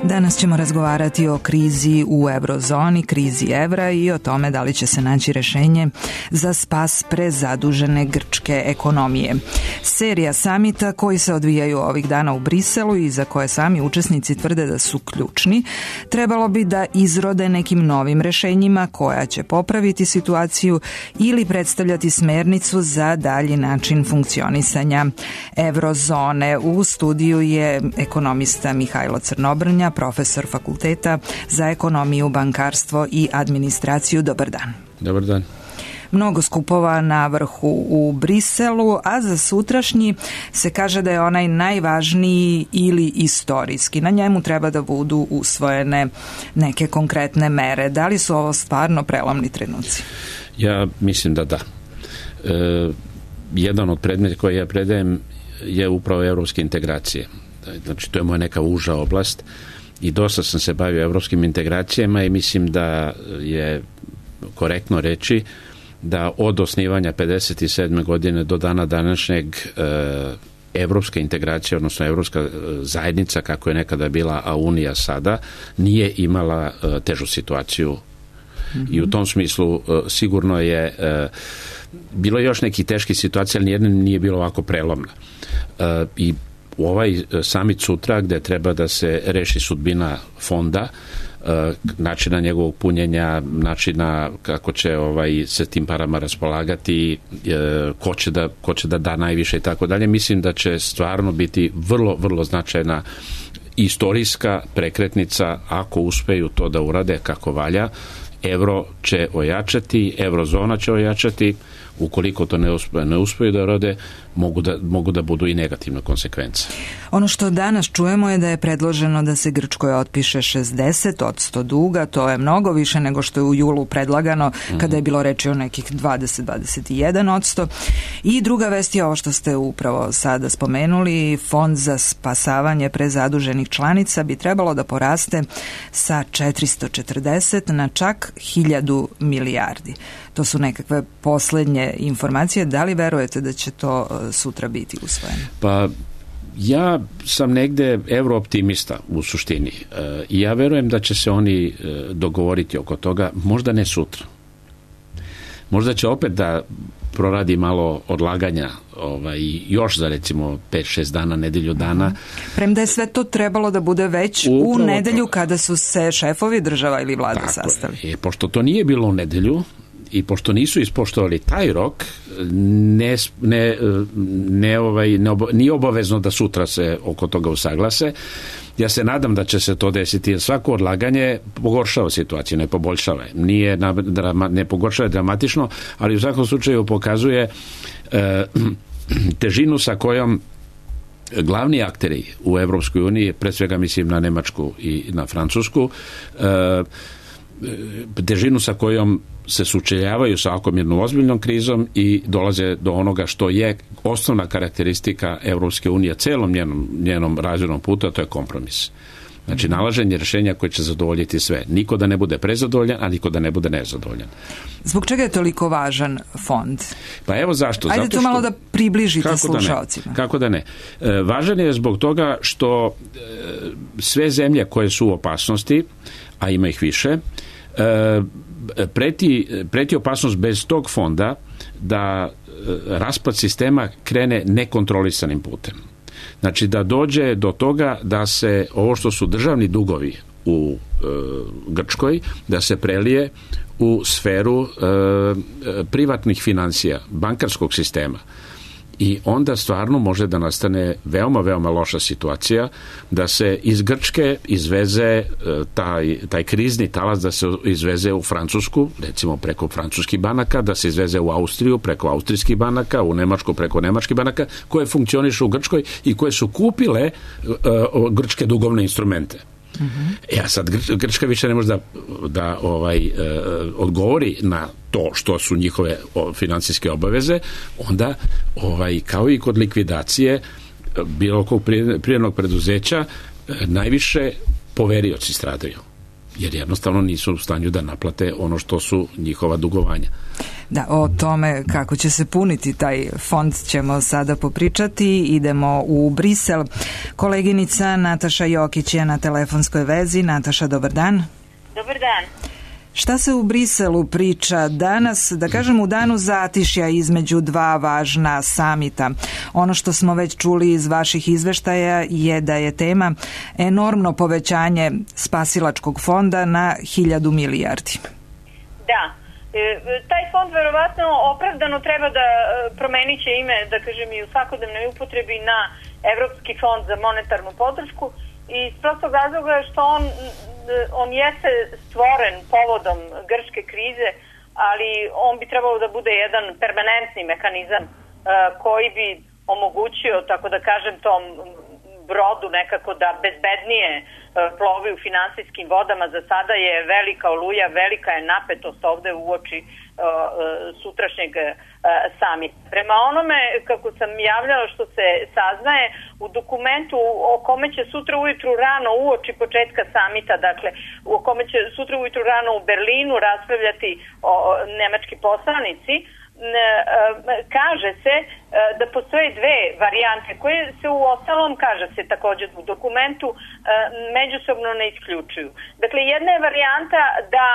Danas ćemo razgovarati o krizi u eurozoni, krizi evra i o tome da li će se naći rešenje za spas prezadužene grčke ekonomije. Serija samita koji se odvijaju ovih dana u Briselu i za koje sami učesnici tvrde da su ključni, trebalo bi da izrode nekim novim rešenjima koja će popraviti situaciju ili predstavljati smernicu za dalji način funkcionisanja eurozone. U studiju je ekonomista Mihajlo Crnobrnja, profesor fakulteta za ekonomiju, bankarstvo i administraciju. Dobar dan. Dobar dan. Mnogo skupova na vrhu u Briselu, a za sutrašnji se kaže da je onaj najvažniji ili istorijski. Na njemu treba da budu usvojene neke konkretne mere. Da li su ovo stvarno prelomni trenuci? Ja mislim da da. Jedan od predmeta koje ja predajem je upravo evropske integracije. Znači, to je moja neka uža oblast i dosta sam se bavio evropskim integracijama i mislim da je korektno reći da od osnivanja 57. godine do dana današnjeg evropska integracija, odnosno evropska zajednica, kako je nekada bila, a Unija sada, nije imala težu situaciju. I u tom smislu sigurno je bilo još neki teški situacija, ali nijedna nije bilo ovako prelomna. I u ovaj samit sutra, gde treba da se reši sudbina fonda, načina njegovog punjenja, načina kako će se tim parama raspolagati, ko će da najviše i tako dalje, mislim da će stvarno biti vrlo, vrlo značajna istorijska prekretnica ako uspeju to da urade kako valja. Evro će ojačati, eurozona će ojačati, ukoliko to ne uspeju da rode, mogu da budu i negativne konsekvence. Ono što danas čujemo je da je predloženo da se Grčkoj otpiše 60% duga, to je mnogo više nego što je u julu predlagano, kada je bilo reči o nekih 20-21%. I druga vest je ovo što ste upravo sada spomenuli, fond za spasavanje prezaduženih članica bi trebalo da poraste sa 440 na čak 1000 milijardi. To su nekakve poslednje informacije. Da li verujete da će to sutra biti usvojeno? Pa ja sam negde eurooptimista u suštini i ja verujem da će se oni dogovoriti oko toga, možda ne sutra. Možda će opet da proradi malo odlaganja još za recimo 5-6 dana, nedelju dana. Premda je sve to trebalo da bude već u nedelju kada su se šefovi država ili vlada sastali. Pošto to nije bilo u nedelju, i pošto nisu ispoštovali taj rok, nije obavezno da sutra se oko toga usaglase. Ja se nadam da će se to desiti, jer svako odlaganje pogoršava situaciju, ne poboljšava. Ne pogoršava dramatično, ali u svakom slučaju pokazuje težinu sa kojom glavni akteri u Evropskoj uniji, pre svega mislim na Nemačku i na Francusku, težinu sa kojom se sučeljavaju sa ovakvom jednom ozbiljnom krizom i dolaze do onoga što je osnovna karakteristika Evropske unije celom njenom razvojnom putu, a to je kompromis. Znači, nalaženje rješenja koje će zadovoljiti sve. Niko da ne bude prezadovoljan, a niko da ne bude nezadovoljan. Zbog čega je toliko važan fond? Pa evo zašto. Ajde to malo da približite slušalcima. Kako da ne. Važan je zbog toga što sve zemlje koje su u opasnosti, a ima ih više, preti opasnost bez tog fonda da raspad sistema krene nekontrolisanim putem. Znači da dođe do toga da se ovo što su državni dugovi u Grčkoj, da se prelije u sferu privatnih financija, bankarskog sistema. I onda stvarno može da nastane veoma, veoma loša situacija, da se iz Grčke izveze taj krizni talas, da se izveze u Francusku, recimo preko francuskih banaka, da se izveze u Austriju preko austrijskih banaka, u Nemačku preko nemačkih banaka, koje funkcionišu u Grčkoj i koje su kupile grčke dugovne instrumente. A sad Grčka više ne može da odgovori na to što su njihove financijske obaveze, onda kao i kod likvidacije bilo kog privrednog preduzeća najviše poverioci stradaju. jer jednostavno nisu u stanju da naplate ono što su njihova dugovanja. Da, o tome kako će se puniti taj fond ćemo sada popričati. Idemo u Brisel. Koleginica Nataša Jokić je na telefonskoj vezi. Nataša, dobar dan. Dobar dan. Šta se u Briselu priča danas, da kažem u danu zatišja između dva važna samita? Ono što smo već čuli iz vaših izveštaja je da je tema enormno povećanje spasilačkog fonda na 1.000 milijardi. Da. Taj fond verovatno opravdano treba da promenit će ime, da kažem, i u svakodnevnoj upotrebi na Evropski fond za monetarnu podršku i iz prostog razloga što on jeste stvoren povodom grčke krize, ali on bi trebalo da bude jedan permanentni mehanizam koji bi omogućio, tako da kažem, tom brodu nekako da bezbednije plovi u finansijskim vodama. Za sada je velika oluja, velika je napetost ovde uoči sutrašnjeg samita. Prema onome kako sam javljala što se saznaje u dokumentu o kome će sutra ujutru rano uoči početka samita, dakle o kome će sutra ujutru rano u Berlinu raspravljati nemački poslanici, kaže se da postoje dve varijante koje se u ostalom, kaže se također u dokumentu, međusobno ne isključuju. Dakle, jedna je varijanta da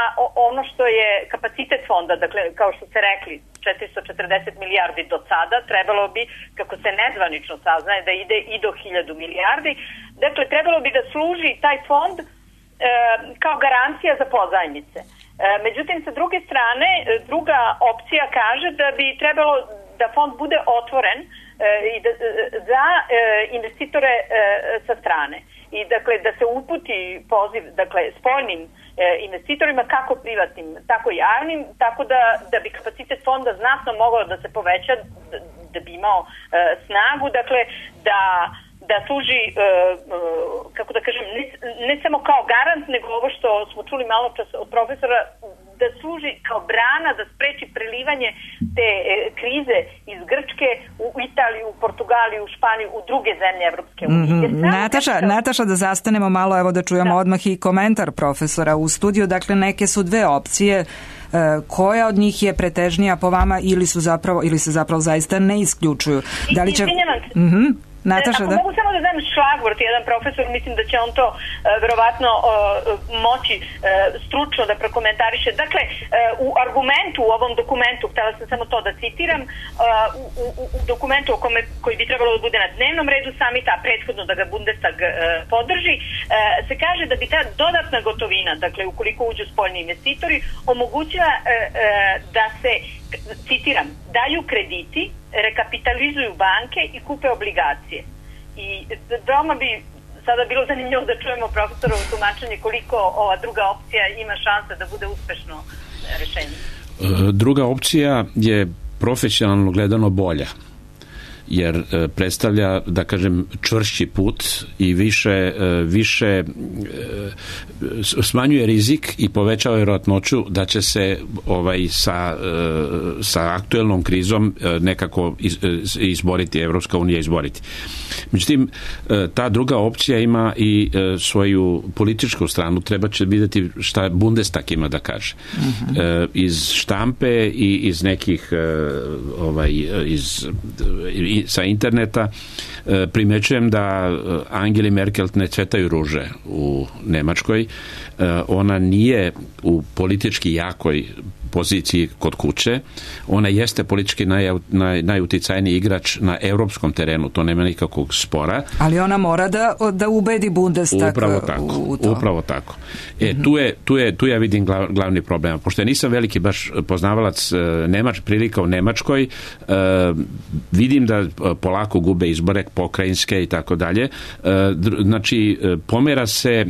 ono što je kapacitet fonda, dakle, kao što ste rekli, 440 milijardi do sada, trebalo bi, kako se nezvanično saznaje, da ide i do 1.000 milijardi. Dakle, trebalo bi da služi taj fond kao garancija za pozajmice. Međutim, sa druge strane, druga opcija kaže da bi trebalo da fond bude otvoren za investitore sa strane. I dakle, da se uputi poziv, dakle, spoljnim investitorima, kako privatnim, tako i javnim, tako da bi kapacitet fonda znatno mogao da se poveća, da bi imao snagu, dakle, da služi, kako da kažem, ne samo kao garant, nego ovo što smo čuli malo čas od profesora, da služi kao brana da spreči prelivanje te krize iz Grčke u Italiju, u Portugaliju, u Španiju, u druge zemlje Evropske unije. Nataša, da zastanemo malo, evo da čujemo odmah i komentar profesora u studiju. Dakle, neke su dve opcije. Koja od njih je pretežnija po vama ili se zapravo zaista ne isključuju? Da li će... Nataša, ako mogu samo da dam šlagvort, jedan profesor, mislim da će on to verovatno moći stručno da prokomentariše. Dakle, u argumentu, u ovom dokumentu, htela sam samo to da citiram, u dokumentu koji bi trebalo da bude na dnevnom redu samita, a prethodno da ga Bundestag podrži, se kaže da bi ta dodatna gotovina, dakle, ukoliko uđu spoljni investitori, omogućila da se, citiram, daju krediti, rekapitalizuju banke i kupe obligacije. I veoma bi sada bilo zanimljivo da čujemo profesorovo tumačenje koliko ova druga opcija ima šanse da bude uspešno rešenje. Druga opcija je profesionalno gledano bolja, jer predstavlja, da kažem, čvršći put i više smanjuje rizik i povećava vjerojatnoću da će se sa aktuelnom krizom nekako izboriti, Evropska unija izboriti. Međutim, ta druga opcija ima i svoju političku stranu. Treba će vidjeti šta Bundestag ima da kaže. Iz štampe i iz nekih sa interneta primećujem da Angeli Merkel ne cvetaju ruže u Nemačkoj. Ona nije u politički jakoj poziciji kod kuće. Ona jeste politički najuticajniji igrač na europskom terenu, to nema nikakvog spora. Ali ona mora da ubedi Bundestag u to. Upravo tako. Tu ja vidim glavni problem. Pošto ja nisam veliki baš poznavalac prilika u Nemačkoj, vidim da polako gube izbore pokrajinske i tako dalje. Znači, pomera se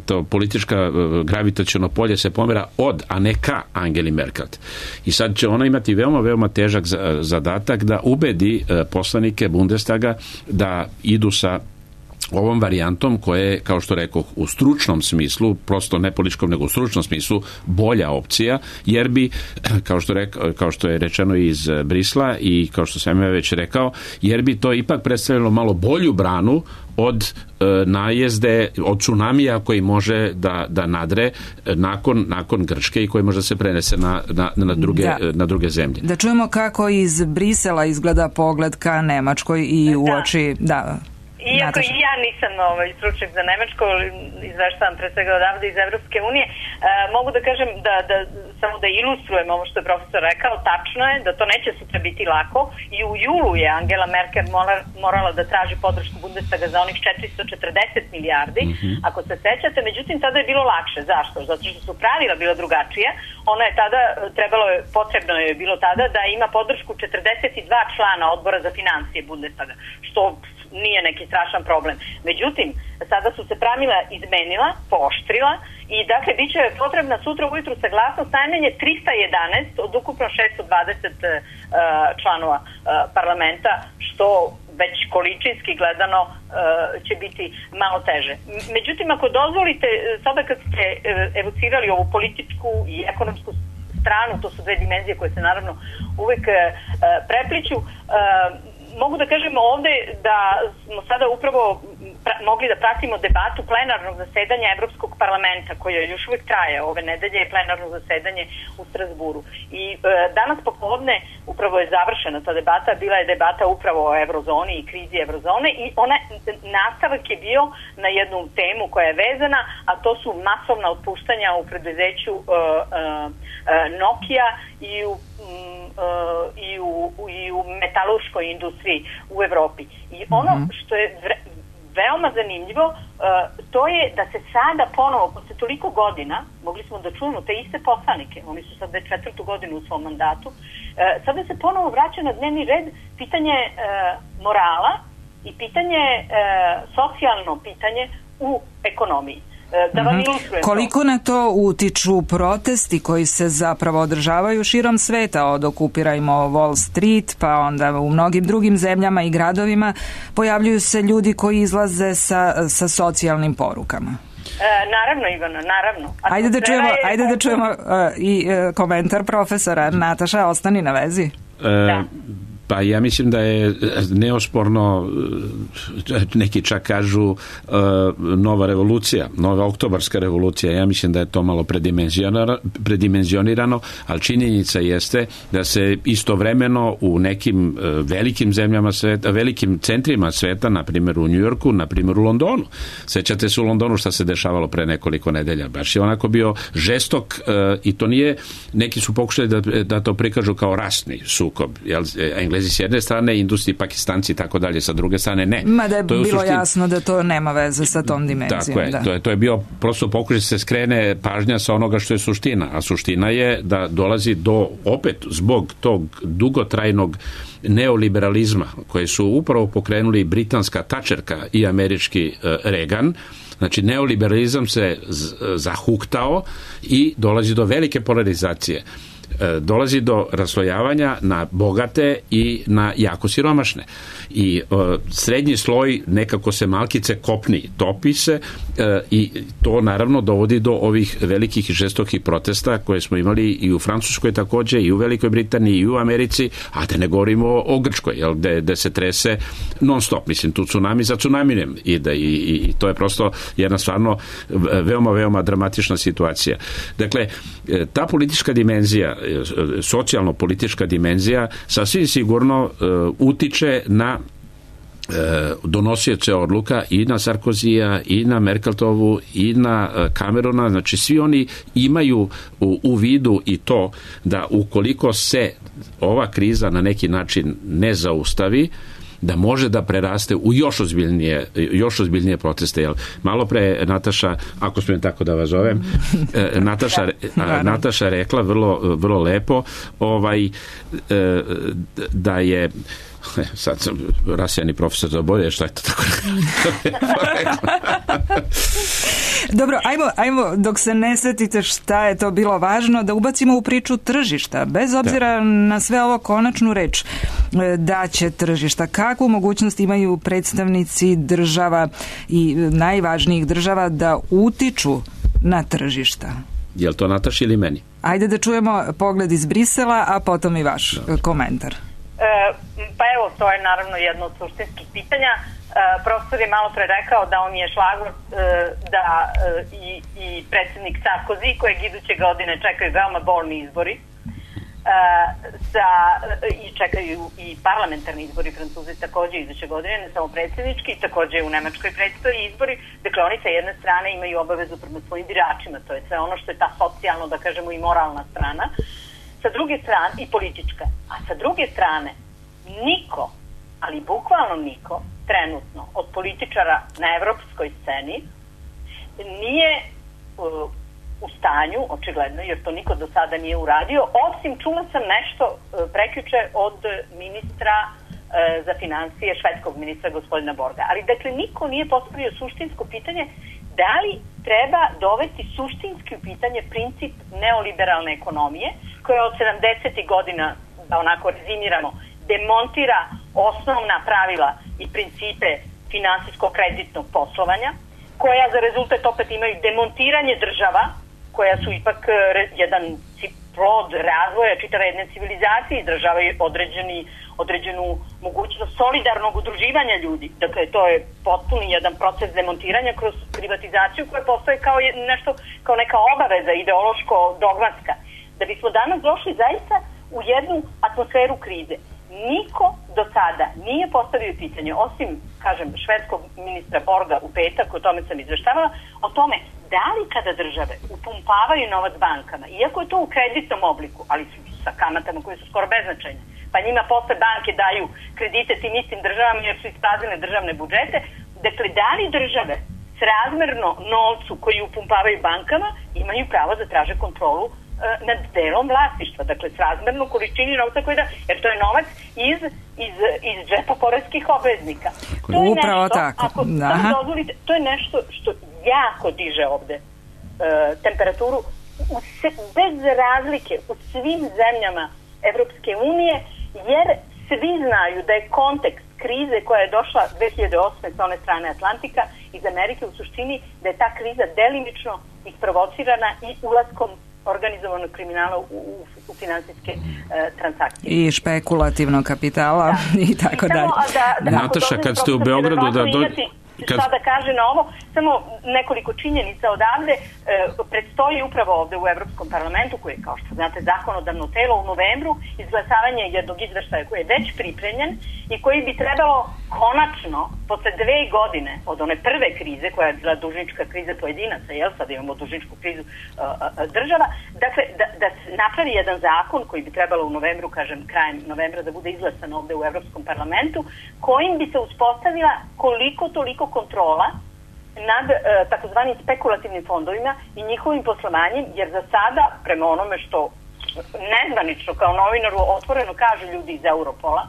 to politička gravitaciono polje se pomera od, a ne ka Angeli Merkel. I sad će ona imati veoma težak zadatak da ubedi poslanike Bundestaga da idu sa ovom varijantom koja je, kao što rekao, u stručnom smislu, prosto ne političkom, nego u stručnom smislu, bolja opcija, jer bi, kao što je rečeno iz Brisla i kao što sam ja već rekao, jer bi to ipak predstavljalo malo bolju branu od najezde, od tsunamija koji može da nadre nakon Grčke i koji može se prenese na druge zemlje. Da čujemo kako iz Brisela izgleda pogled ka Nemačkoj i uoči... Iako i ja nisam stručnjak za Nemačko, izveštavam pre svega odavde iz Evropske unije, mogu da kažem samo da ilustrujem ovo što je profesor rekao, tačno je da to neće sutra biti lako i u julu je Angela Merkel morala da traži podršku Bundestaga za onih 440 milijardi, ako se sećate, međutim tada je bilo lakše. Zašto? Zato što su pravila bila drugačije. Ona je tada, potrebno je bilo tada da ima podršku 42 člana odbora za financije Bundestaga, što nije neki strašan problem. Međutim, sada su se pravila izmenila, pooštrila i dakle bit će potrebna sutra ujutru saglasnost najmanje 311 od ukupno 620 članova parlamenta, što već količinski gledano će biti malo teže. Međutim, ako dozvolite, sada kad ste evocirali ovu političku i ekonomsku stranu, to su dve dimenzije koje se naravno uvek prepliću, mogu da kažem ovde da smo sada upravo mogli da pratimo debatu plenarnog zasedanja Evropskog parlamenta, koje još uvijek traje. Ove nedelje je plenarno zasedanje u Strasburu. I danas popodne upravo je završena ta debata, bila je debata upravo o eurozoni i krizi eurozone i nastavak je bio na jednu temu koja je vezana, a to su masovna otpuštanja u preduzeću Nokia i u metalurškoj industriji u Evropi. I ono što je veoma zanimljivo, to je da se sada ponovo, posle toliko godina, mogli smo da čujemo te iste poslanike, oni su sad već 4. godinu u svom mandatu, sada se ponovo vraća na dnevni red pitanje morala i pitanje, socijalno pitanje u ekonomiji. Koliko na to utiču protesti koji se zapravo održavaju širom sveta, od okupirajmo Wall Street, pa onda u mnogim drugim zemljama i gradovima pojavljuju se ljudi koji izlaze sa socijalnim porukama? Naravno, Ivana, naravno. Ajde da čujemo i komentar profesora. Nataša, ostani na vezi. Da. Pa ja mislim da je neosporno, neki čak kažu nova revolucija, nova oktobarska revolucija. Ja mislim da je to malo predimenzionirano, ali činjenica jeste da se istovremeno u nekim velikim zemljama sveta, velikim centrima sveta, na primjer u Njujorku, na primjer u Londonu. Sećate se u Londonu šta se dešavalo pre nekoliko nedelja. Baš je onako bio žestok i to nije, neki su pokušali da to prikažu kao rasni sukob. Englezi s jedne strane, Indusi, Pakistanci i tako dalje sa druge strane, ne. Mada je bilo jasno da to nema veze sa tom dimenzijom. Tako je, to je bio prosto pokušaj da se skrene pažnja sa onoga što je suština, a suština je da dolazi do, opet, zbog tog dugotrajnog neoliberalizma koje su upravo pokrenuli britanska Thatcherka i američki Reagan. Znači, neoliberalizam se zahuktao i dolazi do velike polarizacije. Dolazi do raslojavanja na bogate i na jako siromašne. I srednji sloj nekako se malkice kopni, topi se i to naravno dovodi do ovih velikih i žestokih protesta koje smo imali i u Francuskoj takođe, i u Velikoj Britaniji, i u Americi, a da ne govorimo o Grčkoj, gde se trese non stop, mislim, tu tsunami za tsunamijem i to je prosto jedna stvarno veoma, veoma dramatična situacija. Dakle, ta politička dimenzija, socijalno-politička dimenzija sasvim sigurno utiče na donosioce odluka i na Sarkozija i na Merkeltovu i na Camerona, znači svi oni imaju u vidu i to da ukoliko se ova kriza na neki način ne zaustavi, da može da preraste u još ozbiljnije proteste. Jel? Malo pre Nataša, ako smijem tako da vas zovem, Nataša rekla vrlo lepo da je sad sam rasijani profesor za bolje, šta je to tako? Dobro, ajmo, dok se ne setite šta je to bilo važno, da ubacimo u priču tržišta. Bez obzira na sve ovo, konačnu reč da će tržišta. Kakvu mogućnost imaju predstavnici država i najvažnijih država da utiču na tržišta? Je li to Nataša ili meni? Ajde da čujemo pogled iz Brisela, a potom i vaš komentar. Pa evo, to je naravno jedno od suštinskih pitanja. Profesor je malo pre rekao da on je šlagvor da i predsjednik Sarkozy, kojeg iduće godine čekaju veoma bolni izbori, i čekaju i parlamentarni izbori, Francuzi takođe iduće godine, ne samo predsjednički, takođe u Nemačkoj predstoji izbori. Dakle, oni sa jedne strane imaju obavezu prema svojim biračima, to je sve ono što je ta socijalno, da kažemo, i moralna strana, sa druge strane i politička. A sa druge strane, niko, ali bukvalno niko, trenutno od političara na evropskoj sceni nije u stanju, očigledno, jer to niko do sada nije uradio, osim čula sam nešto prekjuče od ministra za financije, švedskog ministra gospodina Borga. Ali dakle, niko nije postavio suštinsko pitanje da li treba dovesti suštinski u pitanje princip neoliberalne ekonomije, koja od 70. godina, da onako rezimiramo, demontira osnovna pravila i principe finansijsko-kreditnog poslovanja, koja za rezultat opet imaju demontiranje država, koja su ipak jedan plod razvoja čitave jedne civilizacije, izražavaju određenu mogućnost solidarnog udruživanja ljudi. Dakle, to je potpuni jedan proces demontiranja kroz privatizaciju koja postoje kao nešto, kao neka obaveza ideološko-dogmatska. Da bismo danas došli zaista u jednu atmosferu krize. Niko do sada nije postavio pitanje, osim, kažem, švedskog ministra Borga u petak, o tome sam izveštavala, o tome da li kada države upumpavaju novac bankama, iako je to u kreditnom obliku, ali sa kamatama koje su skoro beznačajne, pa njima posle banke daju kredite tim istim državama jer su ispraznile državne budžete, dakle, da li države srazmerno novcu koji upumpavaju bankama imaju pravo da traže kontrolu nad delom vlasništva, dakle srazmerno količini novca koji da, jer to je novac iz džepa poreskih obveznika. To je upravo nešto, tako. Ako dozvolite, to je nešto što jako diže ovde temperaturu bez razlike u svim zemljama Evropske unije, jer svi znaju da je kontekst krize koja je došla 2008. sa one strane Atlantika iz Amerike u suštini da je ta kriza delimično isprovocirana i ulaskom organizovanog kriminala u finansijske transakcije. I špekulativnog kapitala i tako dalje. Nataša, kad ste u Beogradu šta da kaže na ovo, samo nekoliko činjenica odavde. Predstoji upravo ovde u Evropskom parlamentu, koji je, kao što znate, zakonodavno telo, u novembru izglasavanje jednog izveštaja koji je već pripremljen i koji bi trebalo konačno, posle 2 godine od one prve krize, koja je bila dužnička kriza pojedinaca, sad imamo dužničku krizu država, dakle, da se napravi jedan zakon koji bi trebalo u novembru, kažem, krajem novembra da bude izglasan ovde u Evropskom parlamentu, kojim bi se uspostavila koliko toliko kontrola nad takozvanim spekulativnim fondovima i njihovim poslovanjem, jer za sada, prema onome što nezvanično kao novinaru otvoreno kažu ljudi iz Europola,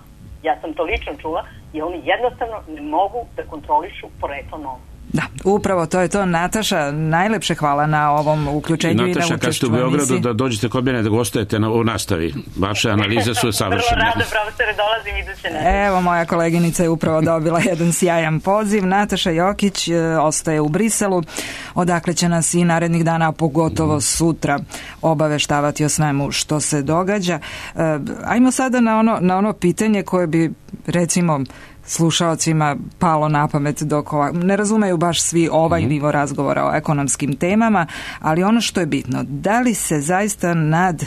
ja sam to lično čula, i oni jednostavno ne mogu da kontrolišu poreklo novca. Da, upravo to je to. Nataša, najlepše hvala na ovom uključenju. Nataša, kad ste u Beogradu da dođete kod mene da gostojete u nastavi. Vaše analize su savršene. Vrlo rado, profesore, dolazim iduće nedelje. Evo, moja koleginica je upravo dobila jedan sjajan poziv. Nataša Jokić ostaje u Briselu, odakle će nas i narednih dana, a pogotovo sutra, obaveštavati o svemu što se događa. Ajmo sada na ono pitanje koje bi, recimo, slušaocima palo na pamet dok ne razumeju baš svi ovaj nivo razgovora o ekonomskim temama, ali ono što je bitno, da li se zaista nad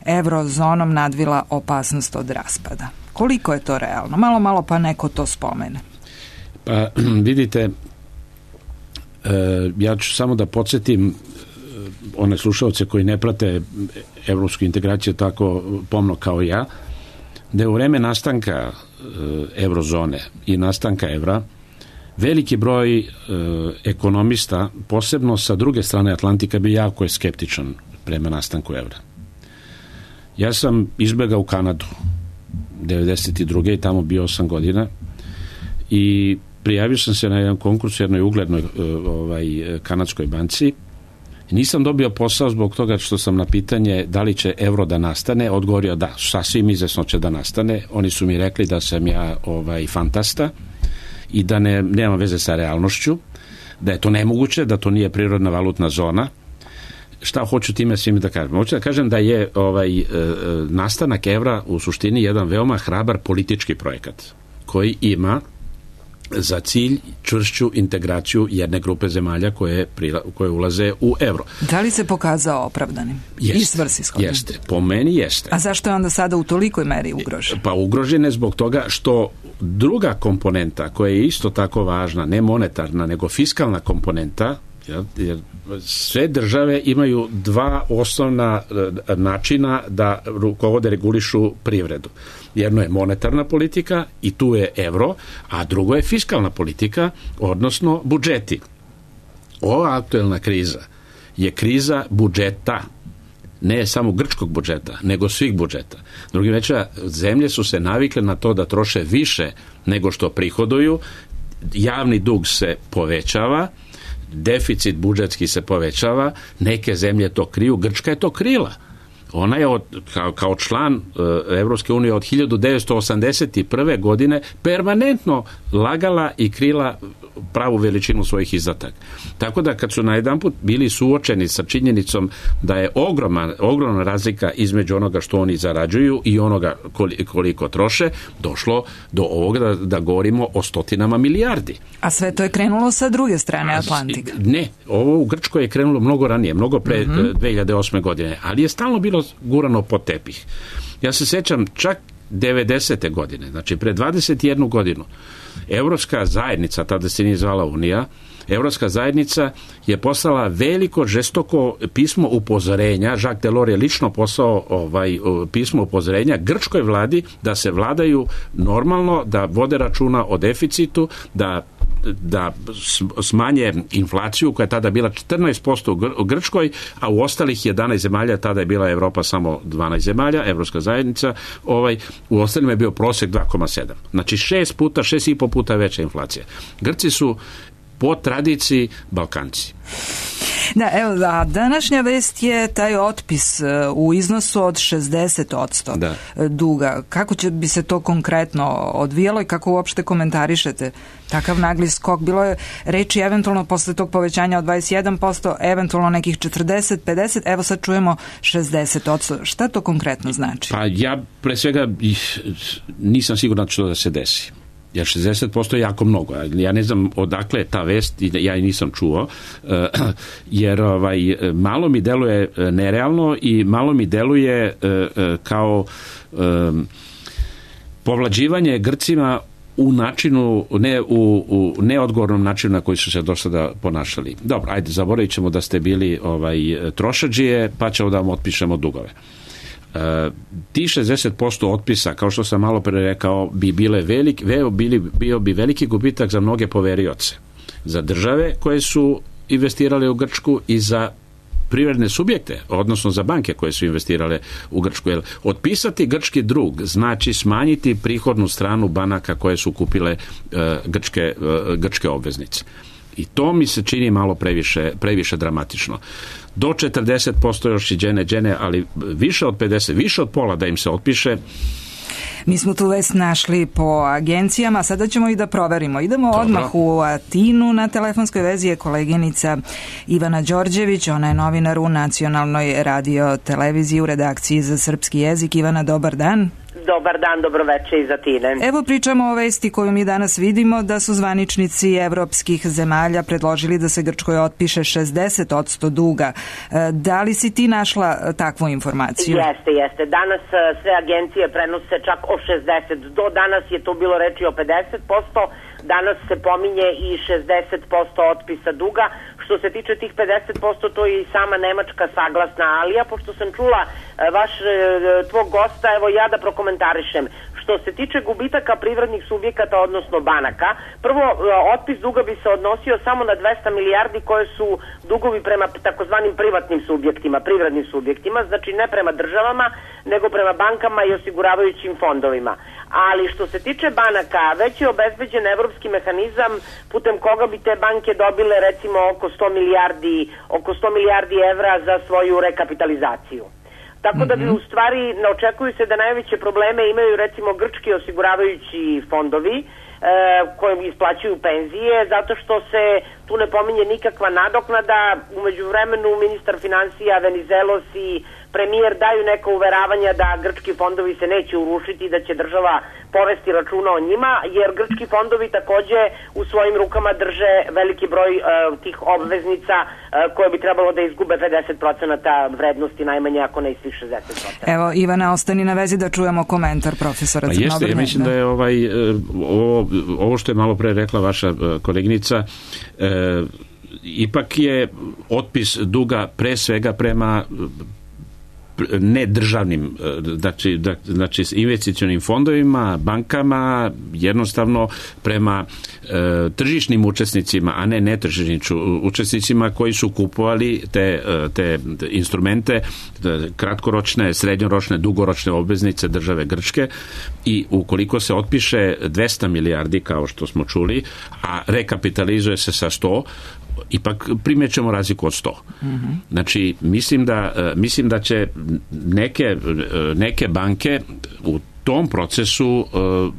eurozonom nadvila opasnost od raspada? Koliko je to realno? Malo pa neko to spomene. Pa vidite, ja ću samo da podsjetim one slušaoce koji ne prate evropsku integraciju tako pomno kao ja, da je u vreme nastanka eurozone i nastanka evra veliki broj ekonomista, posebno sa druge strane Atlantika, bio jako je skeptičan prema nastanku evra. Ja sam izbegao u Kanadu 92. i tamo bio 8 godina i prijavio sam se na jedan konkurs u jednoj uglednoj kanadskoj banci. Nisam dobio posao zbog toga što sam na pitanje da li će evro da nastane odgovorio da, sasvim izvesno će da nastane. Oni su mi rekli da sam ja fantasta i da nema veze sa realnošću, da je to nemoguće, da to nije prirodna valutna zona. Šta hoću time svim da kažem? Hoću da kažem da je nastanak evra u suštini jedan veoma hrabar politički projekat koji ima za cilj čvršću integraciju jedne grupe zemalja koje ulaze u euro. Da li se pokazao opravdanim? I svrsishodnim? Jeste, po meni jeste. A zašto je onda sada u tolikoj meri ugrožen? Pa ugrožen je zbog toga što druga komponenta koja je isto tako važna, ne monetarna, nego fiskalna komponenta, jer sve države imaju dva osnovna načina da rukovode, regulišu privredu. Jedno je monetarna politika i tu je evro, a drugo je fiskalna politika, odnosno budžeti. Ova aktuelna kriza je kriza budžeta, ne samo grčkog budžeta, nego svih budžeta. Drugim rečima, zemlje su se navikle na to da troše više nego što prihoduju, javni dug se povećava, deficit budžetski se povećava, neke zemlje to kriju, Grčka je to krila. Ona je kao član Evropske unije od 1981. godine permanentno lagala i krila pravu veličinu svojih izdataka. Tako da kad su najedanput bili suočeni sa činjenicom da je ogromna razlika između onoga što oni zarađuju i onoga koliko troše, došlo do ovoga da govorimo o stotinama milijardi. A sve to je krenulo sa druge strane Atlantika? Ne, ovo u Grčkoj je krenulo mnogo ranije, mnogo pre 2008. godine, ali je stalno bilo gurano pod tepih. Ja se sećam čak 90. godine, znači pre 21 godinu, Evropska zajednica, tada se nije zvala Unija, Evropska zajednica je poslala veliko, žestoko pismo upozorenja, Jacques Delors je lično poslao pismo upozorenja grčkoj vladi da se vladaju normalno, da vode računa o deficitu, da smanje inflaciju koja je tada bila 14% u Grčkoj, a u ostalih 11 zemalja, tada je bila Evropa samo 12 zemalja, Evropska zajednica, u ostalima je bio prosjek 2,7. Znači 6,5 puta veća inflacija. Grci su po tradiciji Balkanci. Da, evo, a današnja vest je taj otpis u iznosu od 60% duga. Kako bi se to konkretno odvijalo i kako uopšte komentarišete takav nagli skok? Bilo je reči eventualno posle tog povećanja od 21%, eventualno nekih 40, 50, evo sad čujemo 60%. Šta to konkretno znači? Pa ja pre svega nisam siguran što da se desi. Jer 60% je jako mnogo. Ja ne znam odakle je ta vest, ja je nisam čuo, jer malo mi deluje nerealno i malo mi deluje kao povlađivanje Grcima u načinu, u neodgovornom načinu na koji su se do sada ponašali. Dobro, ajde, zaboravit ćemo da ste bili trošadžije, pa ćemo da vam otpišemo dugove. Ti 60% otpisa, kao što sam malo pre rekao, bio bi veliki gubitak za mnoge poverioce, za države koje su investirale u Grčku i za privredne subjekte, odnosno za banke koje su investirale u Grčku. Jer otpisati grčki dug znači smanjiti prihodnu stranu banaka koje su kupile grčke obveznice. I to mi se čini malo previše dramatično. Do 40% još i džene, ali više od 50, više od pola da im se otpiše. Mi smo tu vest našli po agencijama, sada ćemo i da proverimo. Idemo odmah u Atinu, na telefonskoj vezi je koleginica Ivana Đorđević, ona je novinar u Nacionalnoj radio televiziji u redakciji za srpski jezik. Ivana, dobar dan. Dobar dan, dobroveče iz Atine. Evo pričamo o vesti koju mi danas vidimo, da su zvaničnici evropskih zemalja predložili da se Grčkoj otpiše 60% duga. Da li si ti našla takvu informaciju? Jeste. Danas sve agencije prenose čak o 60%. Do danas je to bilo reči o 50%. Danas se pominje i 60% otpisa duga. Što se tiče tih 50%, to je i sama Nemačka saglasna, ali ja, pošto sam čula tvog gosta, evo ja da prokomentarišem. Što se tiče gubitaka privrednih subjekata, odnosno banaka, prvo, otpis duga bi se odnosio samo na 200 milijardi koje su dugovi prema takozvanim privatnim subjektima, privrednim subjektima, znači ne prema državama, nego prema bankama i osiguravajućim fondovima. Ali što se tiče banaka, već je obezbeđen evropski mehanizam putem koga bi te banke dobile recimo oko 100 milijardi evra za svoju rekapitalizaciju. Tako da bi u stvari ne očekuju se da najveće probleme imaju recimo grčki osiguravajući fondovi koji isplaćuju penzije, zato što se tu ne pominje nikakva nadoknada. U međuvremenu ministar finansija Venizelos i premijer daju neka uveravanja da grčki fondovi se neće urušiti, da će država povesti računa o njima, jer grčki fondovi takođe u svojim rukama drže veliki broj tih obveznica koje bi trebalo da izgube 50% vrednosti najmanje, ako ne i svih 60%. Evo, Ivana, ostani na vezi da čujemo komentar profesora Crnobrnja. Jeste, ja mislim da je ovo što je malo pre rekla vaša koleginica, ipak je otpis duga pre svega prema nedržavnim, znači investicionim fondovima, bankama, jednostavno prema tržišnim učesnicima, a ne netržišnim učesnicima koji su kupovali te instrumente, kratkoročne, srednjoročne, dugoročne obveznice države Grčke, i ukoliko se otpiše 200 milijardi, kao što smo čuli, a rekapitalizuje se sa 100, ipak primjećemo razliku od 100. Znači, mislim da će neke banke u tom procesu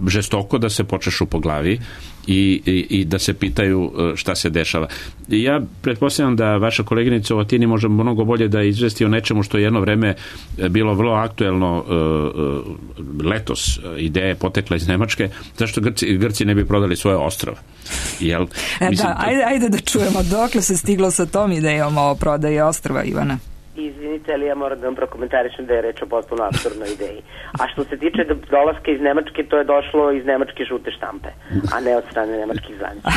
žestoko da se počešu po glavi i da se pitaju šta se dešava. Ja pretpostavljam da vaša koleginica u Atini može mnogo bolje da izvesti o nečemu što je jedno vreme bilo vrlo aktuelno letos. Ideja je potekla iz Nemačke. Zašto Grci ne bi prodali svoje ostrava? Ajde da čujemo dokle se stiglo sa tom idejom o prodaji ostrava, Ivana. Izvinite, ali ja moram da vam prokomentarišem da je reč o potpuno apsurdnoj ideji. A što se tiče dolaska iz Nemačke, to je došlo iz nemačke žute štampe, a ne od strane nemačkih zvaničnika.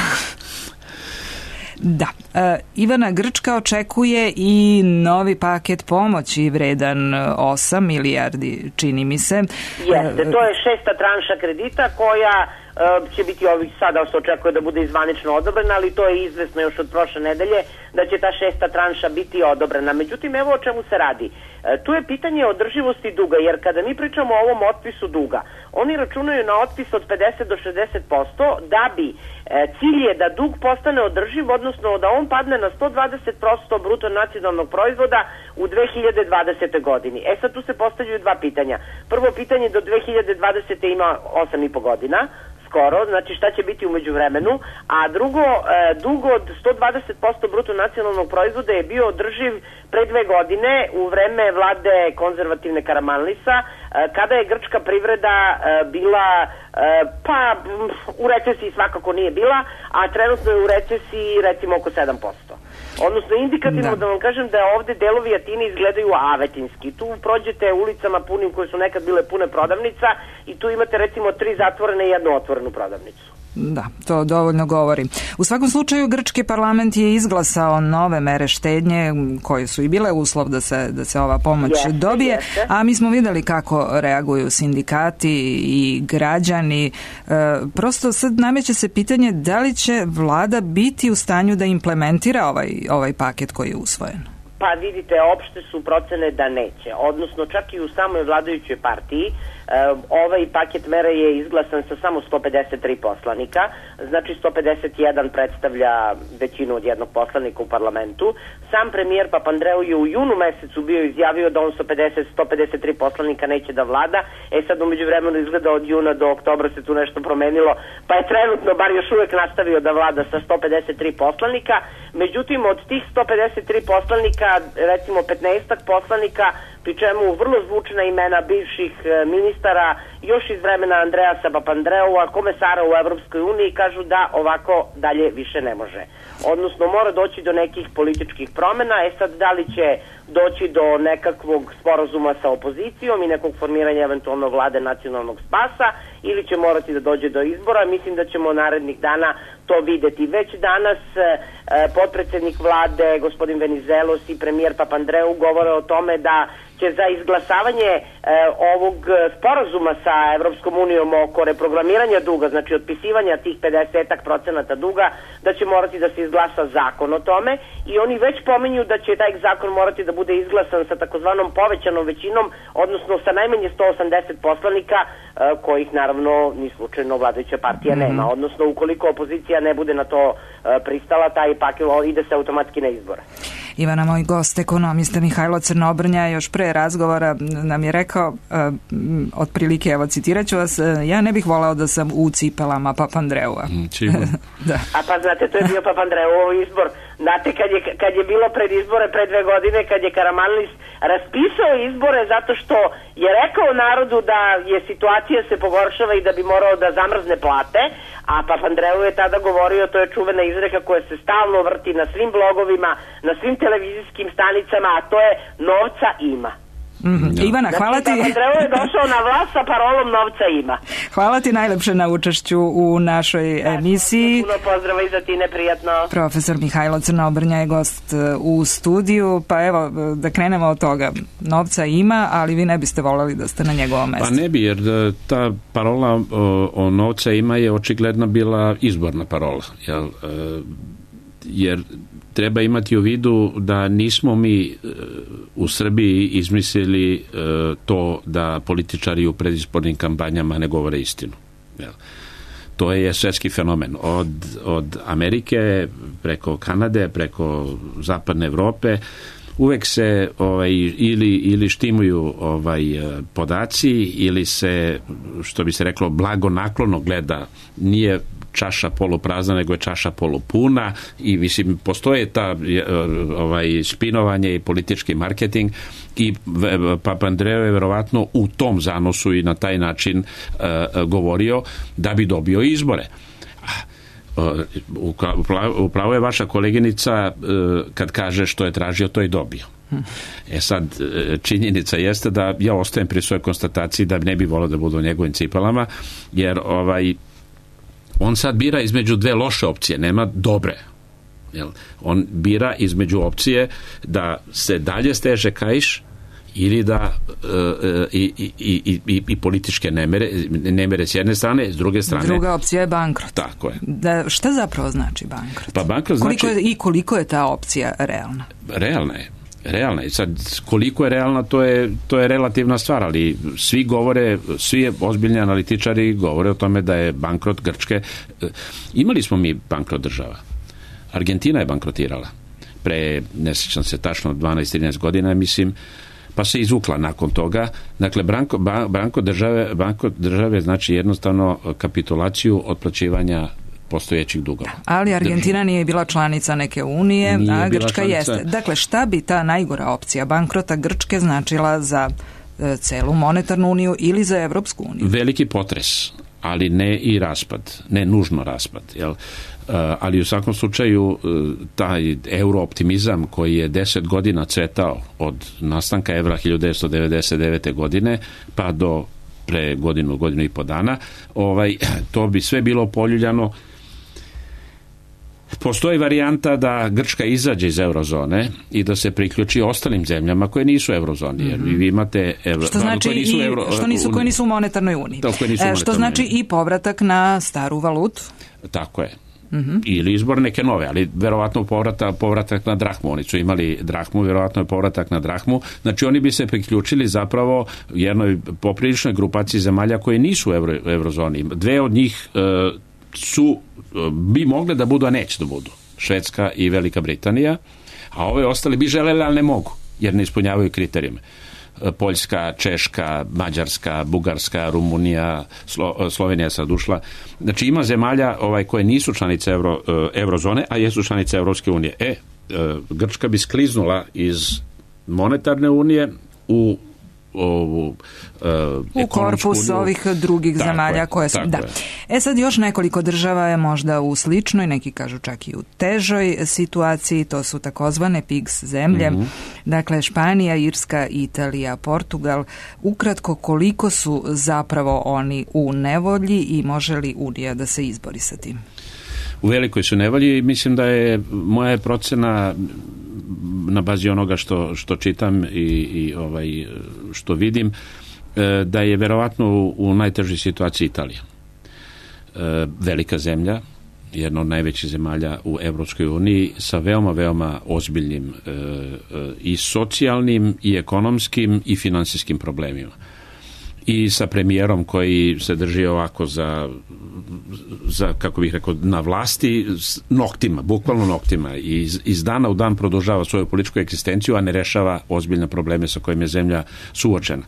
Da. Ivana, Grčka očekuje i novi paket pomoći vredan 8 milijardi, čini mi se. Jeste, to je 6. tranša kredita koja će biti ovih sada se očekuje da bude zvanično odobrena, ali to je izvesno još od prošle nedelje da će ta 6. tranša biti odobrena. Međutim, evo o čemu se radi. Tu je pitanje održivosti duga, jer kada mi pričamo o ovom otpisu duga, oni računaju na otpis od 50 do 60%, da bi cilj je da dug postane održiv, odnosno da on padne na 120% bruto nacionalnog proizvoda u 2020. godini. Sad tu se postavljaju dva pitanja. Prvo pitanje, do 2020. ima 8,5 godina, skoro, znači šta će biti umeđu vremenu, a drugo, dug od 120% bruto nacionalnog proizvoda je bio održiv pre 2 godine u vreme vlade konzervativne Karamanlisa, kada je grčka privreda bila, pa u recesiji svakako nije bila, a trenutno je u recesiji recimo oko 7%. Odnosno, indikativno da vam kažem da ovde delovi Atine izgledaju avetinski. Tu prođete ulicama punim koje su nekad bile pune prodavnica i tu imate recimo 3 zatvorene i 1 otvorenu prodavnicu. Da, to dovoljno govori. U svakom slučaju, grčki parlament je izglasao nove mere štednje koje su i bile uslov da se ova pomoć dobije, a mi smo videli kako reaguju sindikati i građani. Prosto sad nameće se pitanje da li će vlada biti u stanju da implementira ovaj paket koji je usvojen. Pa vidite, opšte su procene da neće, odnosno čak i u samoj vladajućoj partiji. Ovaj paket mera je izglasan sa samo 153 poslanika, znači 151 predstavlja većinu od jednog poslanika u parlamentu. Sam premijer Papandreou je u junu mesecu bio izjavio da on sa 153 poslanika neće da vlada. Sad umeđu vremenu izgleda od juna do oktobra se tu nešto promenilo, pa je trenutno bar još uvek nastavio da vlada sa 153 poslanika. Međutim, od tih 153 poslanika, recimo 15 poslanika, pri čemu vrlo zvučna imena bivših ministara još iz vremena Andreasa Papandreua, komesara u Evropskoj uniji, kažu da ovako dalje više ne može. Odnosno, mora doći do nekih političkih promena. Sad, da li će doći do nekakvog sporazuma sa opozicijom i nekog formiranja eventualno vlade nacionalnog spasa, ili će morati da dođe do izbora, mislim da ćemo narednih dana to videti. Već danas potpredsednik vlade, gospodin Venizelos, i premijer Papandreou govore o tome da će za izglasavanje ovog sporazuma sa Evropskom unijom oko reprogramiranja duga, znači otpisivanja tih 50% duga, da će morati da se izglasa zakon o tome, i oni već pominju da će taj zakon morati da bude izglasan sa takozvanom povećanom većinom, odnosno sa najmanje 180 poslanika, kojih naravno ni slučajno vladajuća partija nema. Odnosno, ukoliko opozicija ne bude na to pristala, taj paket ide se automatski na izbore. Ivana, moj gost, ekonomista Mihajlo Crnobrnja, još pre razgovora nam je rekao, otprilike, evo citirat ću vas, ja ne bih voleo da sam u cipelama Papandreua. Da. A pa znate, to je bio Papandreou izbor Znate, kad je bilo pred izbore pre 2 godine, kad je Karamanlis raspisao izbore zato što je rekao narodu da je situacija se pogoršava i da bi morao da zamrzne plate, a Papandreou je tada govorio, to je čuvena izreka koja se stalno vrti na svim blogovima, na svim televizijskim stanicama, a to je novca ima. Ivana, hvala ti. Papandreou je došao na vlast sa parolom novca ima. Hvala ti najlepše na učešću u našoj emisiji. Puno pozdrava i za ti, neprijatno. Profesor Mihajlo Crnobrnja je gost u studiju, pa evo da krenemo od toga. Novca ima, ali vi ne biste voljeli da ste na njegovom mestu. Pa ne bi, jer ta parola o novca ima je očigledno bila izborna parola. Jer treba imati u vidu da nismo mi u Srbiji izmislili to da političari u predizbornim kampanjama ne govore istinu. To je svetski fenomen. Od Amerike, preko Kanade, preko zapadne Evrope, uvek se ili štimuju podaci ili se, što bi se reklo, blagonaklono gleda, nije čaša poluprazna, nego je čaša polupuna i mislim, postoje ta špinovanje i politički marketing i Papandreou je verovatno u tom zanosu i na taj način govorio da bi dobio izbore. Upravo je vaša koleginica kad kaže što je tražio, to je dobio. Sad, činjenica jeste da ja ostajem pri svojoj konstataciji da ne bi volio da budu u njegovim cipelama, jer on sad bira između 2 loše opcije, nema dobre. On bira između opcije da se dalje steže kaiš ili da i političke nemere s jedne strane, s druge strane... Druga opcija je bankrot. Tako je. Šta zapravo znači bankrot? Pa bankrot znači... Koliko je ta opcija realna? Realna je. Sad, koliko je realna, to je relativna stvar, ali svi ozbiljni analitičari govore o tome da je bankrot Grčke. Imali smo mi bankrot država. Argentina je bankrotirala. Ne sjećam se tačno 12-13 godina, mislim, pa se izvukla nakon toga. Dakle, bankrot države znači jednostavno kapitulaciju otplaćivanja postojećih dugova. Ali Argentina nije bila članica neke unije, a Grčka jeste. Dakle, šta bi ta najgora opcija bankrota Grčke značila za celu monetarnu uniju ili za Evropsku uniju? Veliki potres, ali ne i raspad, ne nužno raspad. Ali u svakom slučaju taj eurooptimizam koji je 10 godina cvetao od nastanka evra 1999. godine pa do pre godinu i po dana, to bi sve bilo poljuljano. Postoji varijanta da Grčka izađe iz eurozone i da se priključi ostalim zemljama koje nisu eurozoni, jer vi imate što znači koje nisu u monetarnoj uniji. Što znači i povratak na staru valutu. Tako je. Ili izbor neke nove, ali verovatno povratak na drahmu. Oni su imali drahmu, verovatno je povratak na drahmu. Znači oni bi se priključili zapravo jednoj popriličnoj grupaciji zemalja koje nisu u eurozoni. 2 od njih bi mogle da budu, a neće da budu. Švedska i Velika Britanija, a ove ostale bi želeli, ali ne mogu, jer ne ispunjavaju kriterijume. Poljska, Češka, Mađarska, Bugarska, Rumunija, Slovenija je sad ušla. Znači ima zemalja koje nisu članice eurozone, a jesu članice Evropske unije. Grčka bi skliznula iz monetarne unije u korpus ovih drugih zemalja koje su... Sad još nekoliko država je možda u sličnoj, neki kažu čak i u težoj situaciji, to su takozvane PIGS zemlje, dakle Španija, Irska, Italija, Portugal. Ukratko, koliko su zapravo oni u nevolji i može li Unija da se izbori sa tim? U velikoj su nevolji i mislim da je moja procena na bazi onoga što čitam i što vidim, da je verovatno u najtežoj situaciji Italija. Velika zemlja, jedna od najvećih zemalja u Evropskoj uniji sa veoma ozbiljnim i socijalnim i ekonomskim i finansijskim problemima. I sa premijerom koji se drži ovako za kako bih rekao, na vlasti noktima, bukvalno noktima, i iz dana u dan produžava svoju političku egzistenciju, a ne rešava ozbiljne probleme sa kojim je zemlja suočena.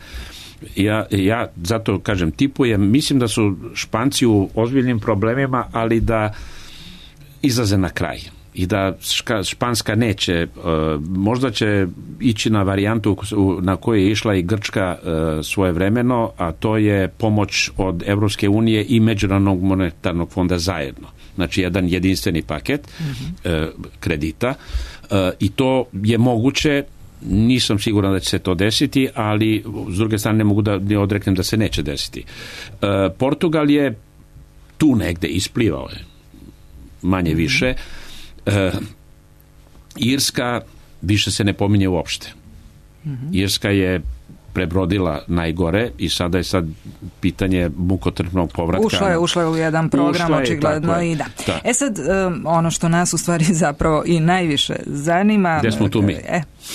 Ja zato kažem, tipujem, mislim da su Španci u ozbiljnim problemima, ali da izlaze na kraj. i da Španska neće, možda će ići na varijantu na koju je išla i Grčka svojevremeno, a to je pomoć od Evropske unije i Međunarodnog monetarnog fonda zajedno. Znači jedan jedinstveni paket kredita i to je moguće. Nisam siguran da će se to desiti, ali s druge strane ne mogu da ne odreknem da se neće desiti. Portugal je tu negde, isplivao je manje više. Irska više se ne pominje uopšte. Irska je prebrodila najgore i sada je pitanje mukotrpnog povratka. Ušla je u jedan program, očigledno i da. Sad, ono što nas u stvari zapravo i najviše zanima... Gde smo tu mi?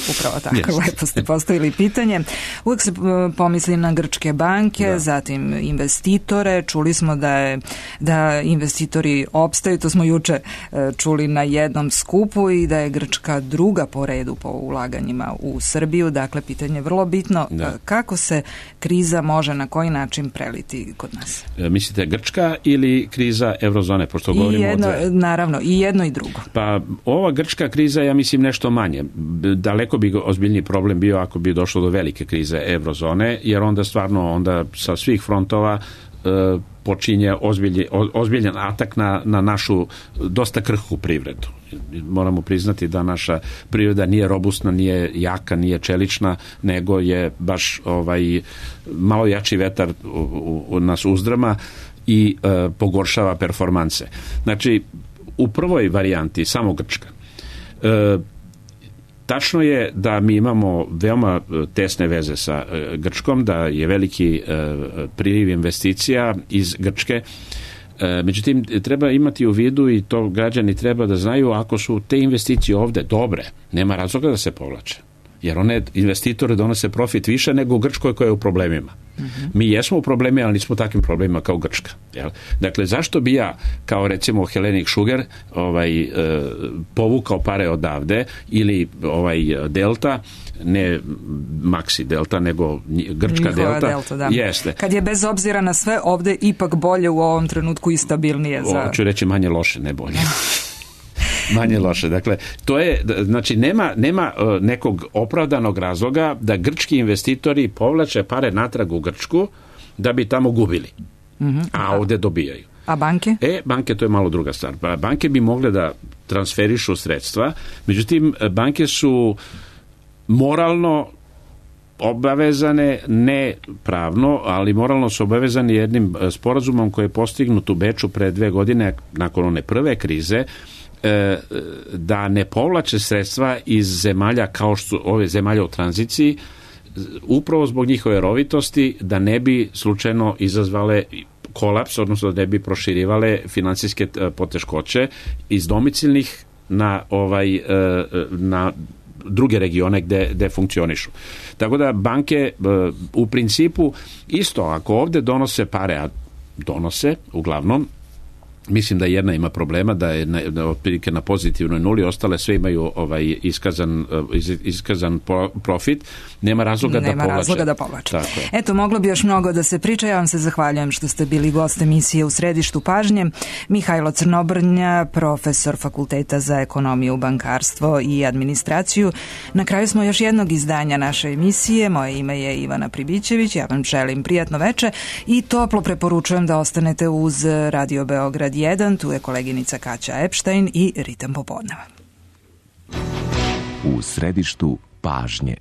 Upravo tako, lepo ste postavili pitanje. Uvijek se pomisli na grčke banke, zatim investitore. Čuli smo da investitori opstaju, to smo juče čuli na jednom skupu, i da je Grčka druga po redu po ulaganjima u Srbiju. Dakle, pitanje je vrlo bitno. Kako se kriza može na koji način preliti kod nas? Mislite Grčka ili kriza eurozone, pošto govorimo naravno, i jedno i drugo. Pa ova grčka kriza, ja mislim, nešto manje. Daleko bi ozbiljniji problem bio ako bi došlo do velike krize eurozone, jer onda stvarno sa svih frontova počinje ozbiljan atak na našu dosta krhku privredu. Moramo priznati da naša privreda nije robustna, nije jaka, nije čelična, nego je baš malo jači vetar nas uzdrama i pogoršava performanse. Znači, u prvoj varijanti samo Grčka. Tačno je da mi imamo veoma tesne veze sa Grčkom, da je veliki priliv investicija iz Grčke. Međutim, treba imati u vidu, i to građani treba da znaju, ako su te investicije ovde dobre, nema razloga da se povlače. Jer one investitore donose profit više nego u Grčkoj koja je u problemima. Mi jesmo u problemima, ali nismo takvim problemima kao Grčka. Jel? Dakle, zašto bi ja, kao recimo Hellenic Sugar, povukao pare odavde, ili Delta, ne Maxi Delta, nego Grčka Njihova Delta. Da. Jeste. Kad je bez obzira na sve ovde ipak bolje u ovom trenutku i stabilnije. Hoću reći manje loše, ne bolje. Manje loše. Dakle, to je, znači, nema nekog opravdanog razloga da grčki investitori povlače pare natrag u Grčku da bi tamo gubili. A ovde dobijaju. A banke? Banke, to je malo druga stvar. Banke bi mogle da transferišu sredstva, međutim, banke su moralno obavezane, ne pravno, ali moralno su obavezani jednim sporazumom koji je postignut u Beču pre 2 godine, nakon one prve krize, da ne povlače sredstva iz zemalja kao što ove zemalja u tranziciji, upravo zbog njihove rovitosti, da ne bi slučajno izazvale kolaps, odnosno da ne bi proširivale finansijske poteškoće iz domicilnih na druge regione gde funkcionišu. Tako da banke u principu isto, ako ovde donose pare, a donose uglavnom, mislim da jedna ima problema, da je otprilike na pozitivnoj nuli, ostale sve imaju iskazan profit, nema razloga da povlače. Eto, moglo bi još mnogo da se priča. Ja vam se zahvaljujem što ste bili gost emisije U središtu pažnje. Mihajlo Crnobrnja, profesor Fakulteta za ekonomiju, bankarstvo i administraciju. Na kraju smo još jednog izdanja naše emisije. Moje ime je Ivana Pribićević. Ja vam želim prijatno veče i toplo preporučujem da ostanete uz Radio Beograd 1, tu je koleginica Kaća Epštajn i Ritam popodneva. U središtu pažnje.